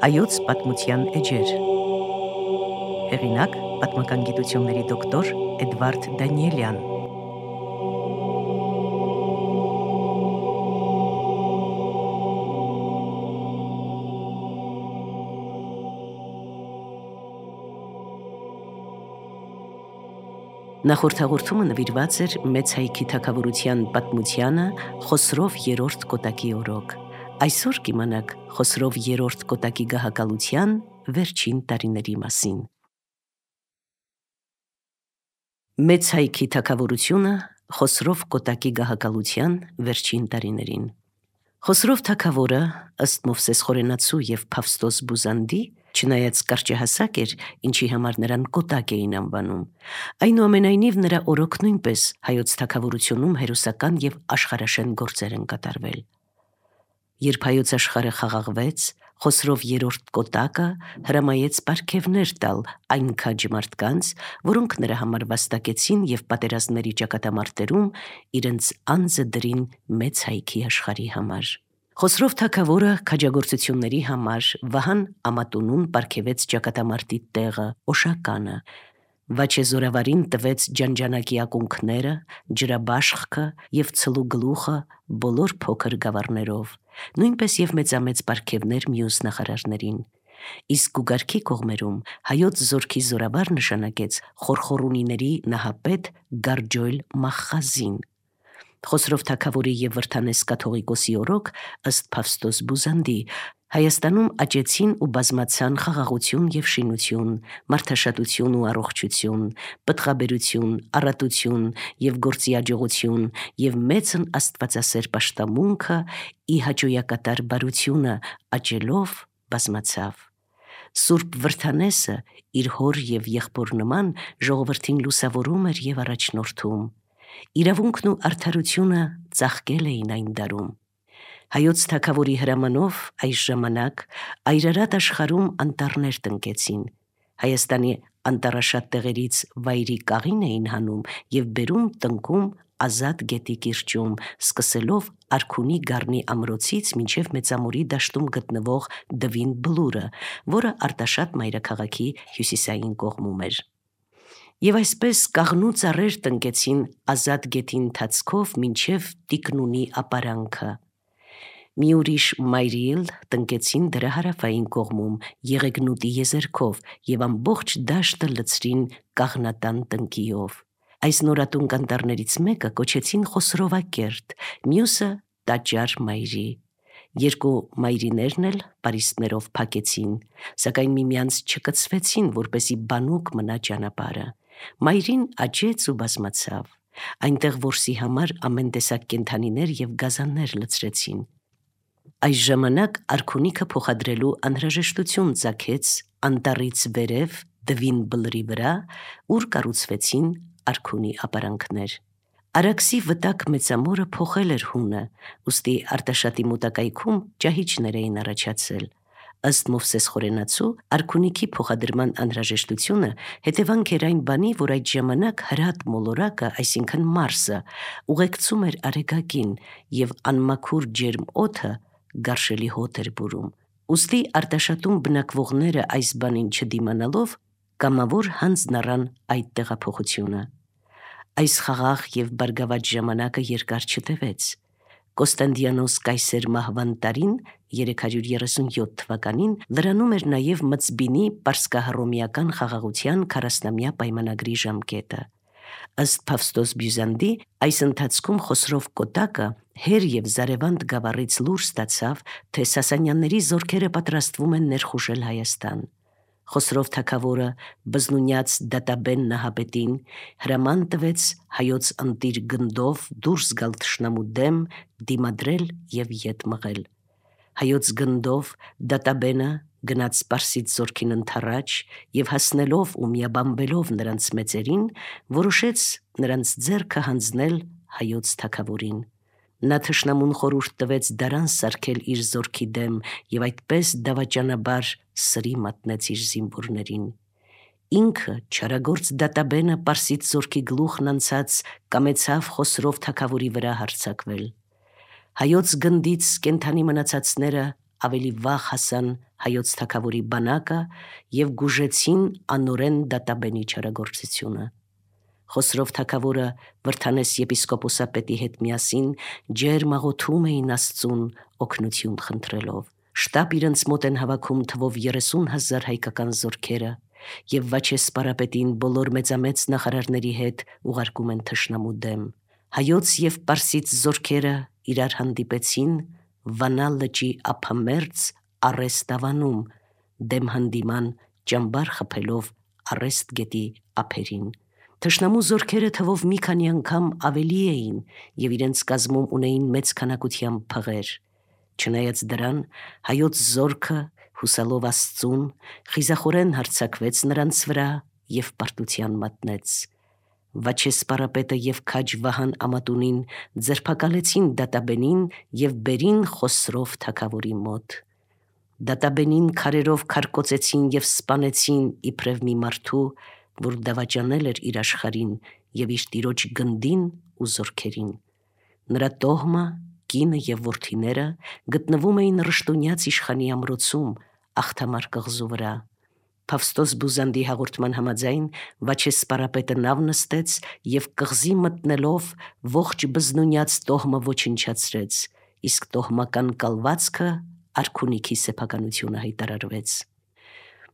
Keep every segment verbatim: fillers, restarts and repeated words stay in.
Հայոց պատմության էջեր։ Հեղինակ պատմական գիտությունների դոկտոր Էդվարդ Դանիելյան։ Նախորդ հաղորդումը նվիրված էր մեծ հայքի թագավորության պատմությանը Խոսրով երրորդ Կոտակի օրոք։ Այսօր կիմանաք Խոսրով երրորդ Կոտակի գահակալության վերջին տարիների մասին։ Մեծ հայքի թագավորությունը Խոսրով Կոտակի գահակալության վերջին տարիներին։ Խոսրով թագավորը, ըստ Մովսես Խորենացու և Փավստոս Բուզանդի, չնայած կարճահասակ էր, ինչի համար նրան Կոտակ էին անվանում, այնուամենայնիվ նրա օրոք նույնպես հայոց թագավորությունում հերոսական և աշխարհաշեն գործեր են կատարվել։ Երբ հայոց աշխարհը խաղաղվեց, Խոսրով երրորդ Կոտակը հրամայեց պարգևներ տալ այն քաջ մարդկանց, որոնք նրա համար վաստակեցին և պատերազմների ճակատամարտերում իրենց անձը դրին մեծ հայքի աշխարհի համար։ Խոսրով թագավորը քաջագործությունների համար Վահան Ամատունուն պարգևեց ճակատամարտի տեղը Օշականը, Վաչե Զորավարին տվեց ջանջանակի ակունքները, ջրաբաշխը և ցլու գլուխը բոլոր փոքր գավառներով, նույնպես և մեծամեծ պարգևներ մյուս նախարարներին։ Իսկ Գուգարքի կողմերում հայոց զորքի զորավար նշանակեց Խորխորունիների նահապետ Գարջոյլ Մախխազին։ Խոսրով թագավորի և Վրդանես կաթողիկոսի օրոք, ըստ Փավստոս Բուզանդի, Հայաստանում աճեցին ու բազմացան խաղաղություն և շինություն, մարդաշատություն ու առողջություն, պտղաբերություն, առատություն և գործի աջողություն և մեծն աստվածասեր պաշտամունքը ի հաճոյակատար բարությունը աճելով բազմացավ։ Սուրբ Վրդանեսը իր հոր և եղբոր նման ժողովրդին լուսավորում էր և առաջնորդում։ Իրավունքն ու արդարությունը ծաղկել էին այն դարում։ Հայոց թագավորի հրամանով այս ժամանակ այրարատ աշխարհում անտառներ տնկեցին։ Հայաստանի անտառաշատ տեղերից վայրի կաղին էին հանում և բերում տնկում Ազատ գետի կիրճում, սկսելով Արքունի գառնի ամրոցից մինչև Մեծամորի դաշտում գտնվող Դվին Բլուրը, որը Արտաշատ մայրաքաղաքի հյուսիսային կողմում էր։ Եվ այսպես կաղնու ծառեր տնկեցին Ազատ գետի ընթացքով մինչև Տիկնունի ապարանքը։ Մի ուրիշ մայրի էլ տնկեցին դրա հարավային կողմում Եղեգնուտի եզերքով և ամբողջ դաշտը լցրին կաղնատան տնկիով։ Այս նորատունկ անտառներից մեկը կոչեցին Խոսրովակերտ, մյուսը Տաճար մայրի։ Երկու մայրիներն էլ պարիսպներով փակեցին, սակայն միմյանց չկցվեցին, որպեսզի բանուկ մնա ճանապարհը։ Մայրին աճեց ու բազմացավ։ Այնտեղ որսի համար ամեն տեսակ կենդանիներ և գազաններ լցրեցին։ Այս ժամանակ արքունիքը փոխադրելու անհրաժեշտություն ծագեց անտառից վերև Դվին Բլրի վրա, ուր կառուցվեցին արքունի ապարանքներ։ Արաքսի վտակ Մեծամորը փոխել էր հունը, ուստի Արտաշատի մոտակայքում ճահիճներ էին առաջացել։ Ըստ Մովսես Խորենացու, արքունիքի փոխադրման անհրաժեշտությունը հետևանք էր այն բանի, որ այդ ժամանակ հրատ մոլորակը, այսինքն Մարսը, ուղեկցում էր Արեգակին, և անմաքուր ջերմ օդը գարշելի հոտ էր բուրում։ Ուստի Արտաշատում բնակվողները այս բանին չդիմանալով, կամավոր հանձն առան այդ տեղափոխությունը։ Այս խաղաղ և բարգավաճ ժամանակը երկար չտևեց։ Կոստանդիանոս կայսեր մահվան տարին, երեք հարյուր երեսունյոթ թվականին, լրանում էր նաև Մծբինի պարսկահռոմեական խաղաղության քառասնամյա պայմանագրի ժամկետը։ Ըստ Փավստոս Բյուզանդի, այս ընթացքում Խոսրով Կոտակը հեր և Զարևանտ գավառից լուր ստացավ, թե Սասանյանների զորքերը պատրաստվում են ներխուժել Հայաստան։ Խոսրով թագավորը բզնունյաց Դատաբեն նահապետին հրաման տվեց հայոց ընտիր գնդով դուրս գալ թշնամու դեմ, դիմադրել և ետ մղել։ Հայոց գնդով Դատաբենը գնաց Պարսից զորքին ընդառաջ և հասնելով ու միաբանվելով նրանց մեծերին, որոշեց նրանց ձեռքը հանձնել հայոց թագավորին։ Նա թշնամուն խորհուրդ տվեց դարան սարքել իր զորքի դեմ և այդպես դավաճանաբար սրի մատնեց իր զինվորներին։ Ինքը չարագործ Դատաբենը Պարսից զորքի գլուխն անցած կամեցավ Խոսրով թագավորի վրա հարձակվել։ Հայոց գնդից կենդանի մնացածները ավելի վաղ հասան հայոց թագավորի բանակը և գուժեցին անորեն դատաբենի չարագործությունը։ Խոսրով թագավորը Վրդանես եպիսկոպոսապետի հետ միասին ջերմ աղոթում էին Աստծուն օգնություն խնդրելով։ Շտապ իրենց մոտ են հավաքում թվով երեսուն հազար հայկական զորքերը և Վաչե սպարապետին բոլոր մեծամեծ նախարարների հետ ուղարկում են թշնամու դեմ։ Հայոց և պարսից զորքերը իրար հանդիպեցին Վանա լճի ափամերձ Առեստ ավանում, դեմ հանդիման ճամբար խփելով Առեստ գետի ափերին։ Թշնամու զորքերը թվով մի քանի անգամ ավելի էին և իրենց կազմում ունեին մեծ քանակությամբ փղեր։ Չնայած դրան, հայոց զորքը, հուսալով Աստծուն, խիզախորեն հարձակվեց նրանց վրա և պարտության մատնեց։ Վաչե սպարապետը և քաջ Վահան Ամատունին ձերբակալեցին դատաբենին և բերին Խոսրով թագավորի մոտ։ Դատաբենին քարերով քարկոծեցին և սպանեցին իբրև մի մարդու, որ դավաճանել էր իր աշխարհին և իր տիրոջ գնդին ու զորքերին։ Նրա տոհմը, կինը և որդիները գտնվում էին Ռշտունյաց իշխանի ամրոցում Աղթամար կղզու վրա։ Փավստոս Բուզանդի հաղորդման համաձայն Վաչե սպարապետը նավ նստեց և կղզի մտնելով ողջ Բզնունյաց տոհմը ոչնչացրեց, իսկ տոհմական կալվածքը արքունիքի սեփականությունը հայտարարվեց։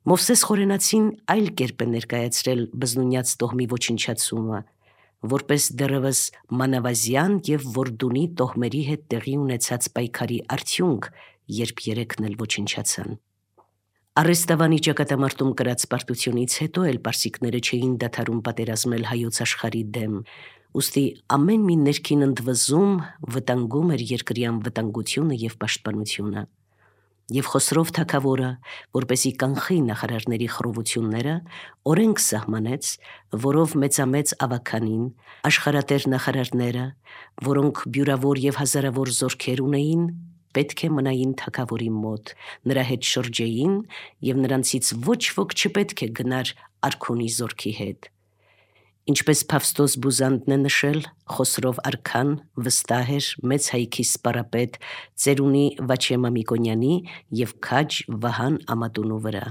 Մովսես Խորենացին այլ կերպ է ներկայացրել Բզնունյաց տոհմի ոչնչացումը, որպես դեռևս մանավազյան և Որդունի տոհմերի հետ տեղի ունեցած պայքարի արդյունք, երբ երեքն էլ ոչնչացան։ Առեստավանի ճակատամարտում կրած պարտությունից հետո էլ պարսիկները չէին դադարում պատերազմել հայոց աշխարհի դեմ, ուստի ամեն մի ներքին ընդվզում վտանգում էր երկրի անվտանգությունը և պաշտպանությունը։ Եվ Խոսրով թագավորը, որպեսզի կանխի նախարարների խռովությունները, օրենք սահմանեց, որով մեծամեծ ավագանին, աշխարհատեր նախարարները, որոնք բյուրավոր և հազարավոր զորքեր ունեին, պետք է մնային թագավորի մոտ, նրա հետ շրջեին և նրանցից ոչ ոք չպետք է գնար արքունի զորքի հետ։ Ինչպես Փավստոս Բուզանդն է նշել, Խոսրով արքան վստահ էր մեծ հայքի սպարապետ ծերունի Վաչե Մամիկոնյանի և քաջ Վահան Ամատունու վրա։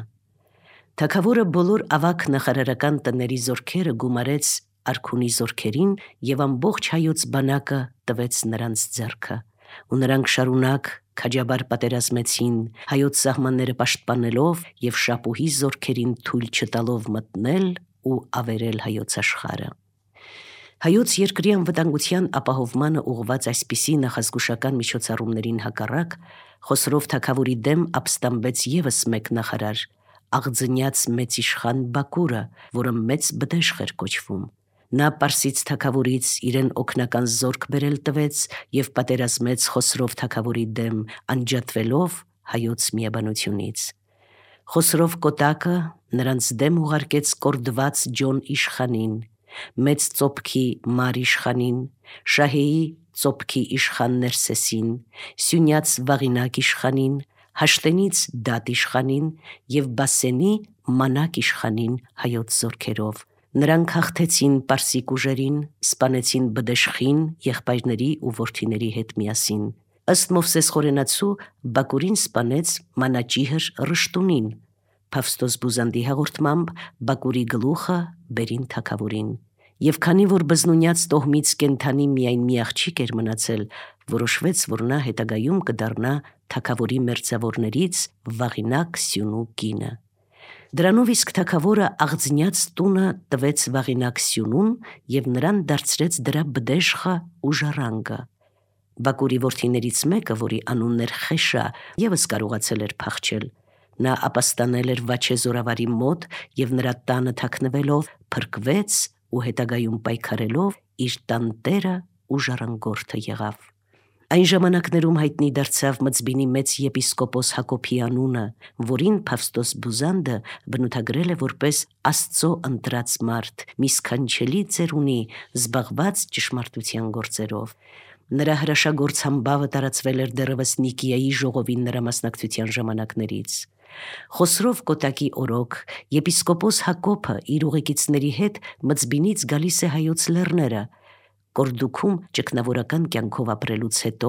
Թագավորը բոլոր ավագ նախարարական տների զորքերը գումարեց արքունի զորքերին և ամբողջ հայոց բանակը տվեց նրանց ձեռքը, ու նրանք շարունակ քաջաբար պատերազմեցին, հայոց սահմանները պաշտպանելով և շապուհի զորքերին թույլ չտալով մտնել ու ավերել հայոց աշխարհը։ Հայոց երկրի անվտանգության ապահովմանը ուղղված այսպիսի նախազգուշական միջոցառումներին հակառակ Խոսրով թագավորի դեմ ապստամբեց ևս մեկ նախարար՝ Աղձնյաց մեծ իշխան Բակուրը, որը մեծ բդեշխ էր կոչվում։ Նա պարսից թագավորից իրեն օգնական զորք բերել տվեց և պատերազմեց Խոսրով թագավորի դեմ, անջատվելով հայոց միաբանությունից։ Խոսրով կոտակը նրանց դեմ ուղարկեց կորդված Ջոն իշխանին, Մեծ ծոփքի Մար իշխանին, Շահեի ծոփքի իշխան Ներսեսին, Սյունյաց Վաղինակ իշխանին, Հաշտենից Դատ իշխանին և Բասենի Մանակ իշխանին հայոց զորքերով։ Նրանք հաղթեցին պարսիկ ուժերին, սպանեցին բդեշխին եղբայրների ու որդիների հետ միասին։ Ըստ Մովսես Խորենացու Բակուրին սպանեց մանաճիհր Ռշտունին։ Փավստոս Բուզանդի հաղորդմամբ Բակուրի գլուխը բերին թագավորին։ Եվ քանի որ Բզնունյաց տոհմից կենդանի միայն մի աղջիկ էր մնացել, որոշվեց, որ նա հետագայում կդառնա թագավորի մերձավորներից Վաղինակ Սյունու կինը։ Դրանով իսկ թագավորը Աղձնյաց տունը տվեց Վաղինակ Սյունուն և նրան դարձրեց դրա բդեշխը ու ժառանգը։ Բակուրի որդիներից մեկը, որի անունն էր Խեշա, ևս կարողացել էր փախչել։ Նա ապաստանել էր Վաչե զորավարի մոտ և նրա տանը թաքնվելով փրկվեց ու հետագայում պայքարելով իր տան տերը ու ժառանգորդը եղավ։ Այն ժամանակներում հայտնի դարձավ Մծբինի մեծ եպիսկոպոս Հակոբի անունը, որին Փավստոս Բուզանդը բնութագրել է որպես Աստծո ընտրած մարդ, մի սքանչելի ծերունի, զբաղված ճշմարտության գործերով։ Նրա հրաշագործ համբավը տարածվել էր դեռևս Նիկիայի ժողովին նրա մասնակցության ժամանակներից։ Խոսրով կոտակի օրոք եպիսկոպոս Հակոբը իր ուղեկիցների հետ Մծբինից գալիս է հայոց լեռները, Կորդուքում ճգնավորական կյանքով ապրելուց հետո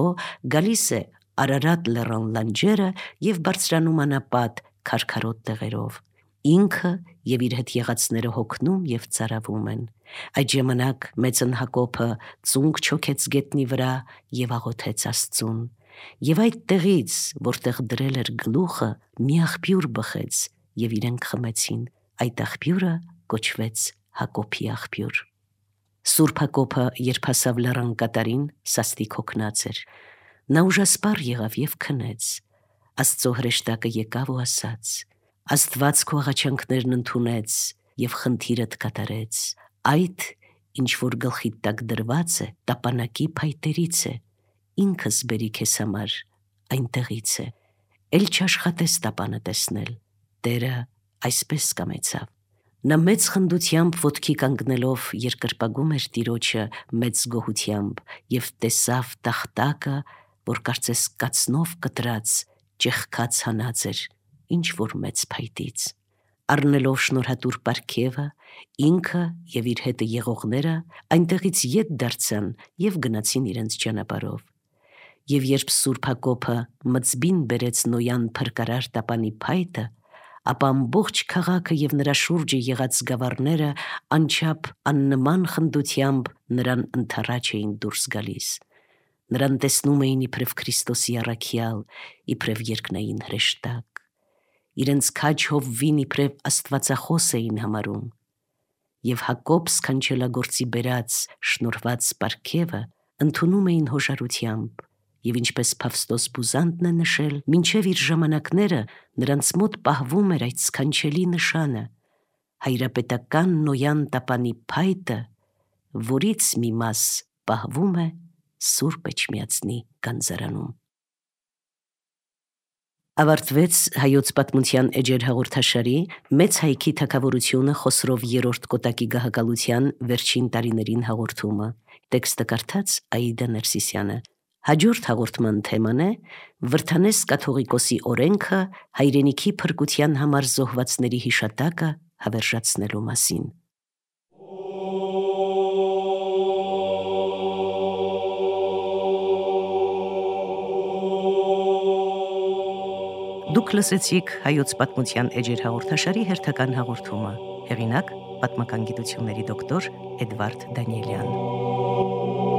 գալիս է Արարատ լեռան լանջերը և բարձրանում անապատ քարքարոտ տեղերով։ Ինքը և իր հետ եղածները հոգնում և ծարավում են։ Այդ ժամանակ մեծն Հակոբը ծունկ չոքեց գետնի վրա և աղոթեց Աստծուն։ Եվ այդ տեղից, որտեղ դրել էր գլուխը, մի աղբյուր բխեց, և իրենք խմեցին։ Այդ աղբյուրը կոչվեց Հակոբի աղբյուր։ Սուրբ Հակոբը, երբ հասավ լեռան կատարին, սաստիկ հոգնած էր։ Նա ուժասպառ եղավ և քնեց։ Աստծո հրեշտակը եկավ ու ասաց. «Աստված քո աղաչանքներն ընդունեց և խնդիրդ կատարեց։ Այդ, ինչ որ գլխիդ տակ դրված է, տապանակի փայտերից է, ինքս բերի քեզ համար այնտեղից է։ Էլ չաշխատես տապանը տեսնել, Տերը այսպես կամեցավ»։ Նա մեծ խնդությամբ ոտքի կանգնելով երկրպագում էր Տիրոջը մեծ գոհությամբ և տեսավ տախտակը, որ կարծես կացնով կտրած, ճեղքած հանած էր ինչ որ մեծ փայտից։ Առնելով շնորհատուր պարգևը, ինքը և իր հետը եղողները այնտեղից ետ դարձան և գնացին իրենց ճանապարհով։ Եվ երբ Սուրբ Հակոբը մծբին բերեց Նոյան փրկարար տապանի փայտը, ապա ամբողջ քաղաքը և նրա շուրջը եղած գավառները անչափ աննման խնդությամբ նրան ընդառաջ էին դուրս գալիս։ Նրան տեսնում էին իբրև Քրիստոսի առաքյալ, իբրև երկնային հրեշտակ։ Իրենց քաջ հովվին իբրև Աստվածախոս էին համարում։ Եվ Հակոբ սքանչելագործի բերած շնորհված պարգևը ընդունում էին հոժարությամբ։ Եվ ինչպես Փավստոս Բուզանդն է նշել, մինչև իր ժամանակները նրանց մոտ պահվում էր այդ սքանչելի նշանը՝ հայրապետական Նոյան տապանի փայտը, որից մի մաս պահվում է Սուրբ Էջմիածնի գանձարանում։ Ավարտվեց Հայոց պատմության էջեր հաղորդաշարի «Մեծ հայքի թագավորությունը» Խոսրով երրորդ կոտակի գահակալության վերջին տարիներին հաղորդումը։ Տեքստը կարդաց Աիդա Ներսիսյանը։ Հաջորդ հաղորդման թեման է Վրդանես կաթողիկոսի օրենքը հայրենիքի փրկության համար զոհվածների հիշատակը հավերժացնելու մասին։ Դուք լսեցիք Հայոց պատմության էջեր հաղորդաշարի հերթական հաղորդումը։ Հեղինակ՝ պատմական գիտությունների դոկտոր Էդվարդ Դանիելյան։